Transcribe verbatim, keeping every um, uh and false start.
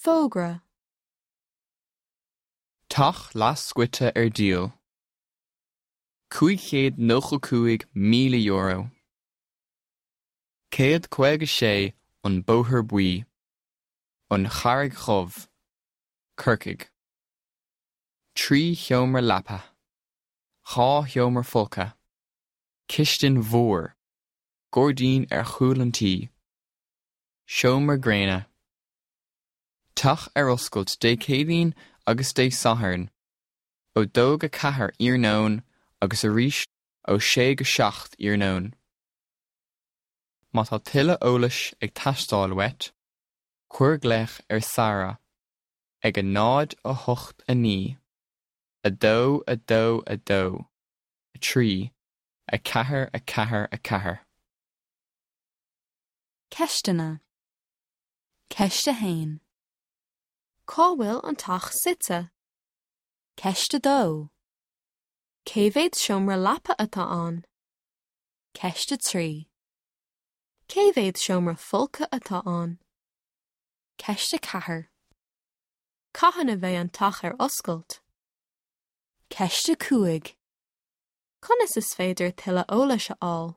Fógra. Teach leathscoite ar díol. Cúig chéad nócha cúig míle euro. Céad caoga sé an Bóthar Buí. An Charraig Dhubh. Corcaigh. Trí sheomra leapa. Dhá sheomra folctha. Cistin mhór. Gairdín ar chúl an tí. Seomra gréine. Teach ar oscailt Dé Céadaoin agus Dé Sathairn, ó dó go ceathair iarnóin agus arís ó sé go seacht iarnóin. Má tá tuilleadh eolais ag teastáil uait, cuir glaoch ar Sara ag a náid a hocht a naoi, a dó a dó a dó, a trí, a ceathair a ceathair a ceathair. Ceisteanna. Ceist a haon. Cá bhfuil an teach suite? Ceist a dó. Cé mhéad seomra leapa atá ann? Ceist a trí. Cé mhéad seomra folctha atá ann? Ceist a ceathair. Cathain a bheidh an teach ar oscailt? Ceist a cúig. Conas is féidir tuilleadh eolais a fháil?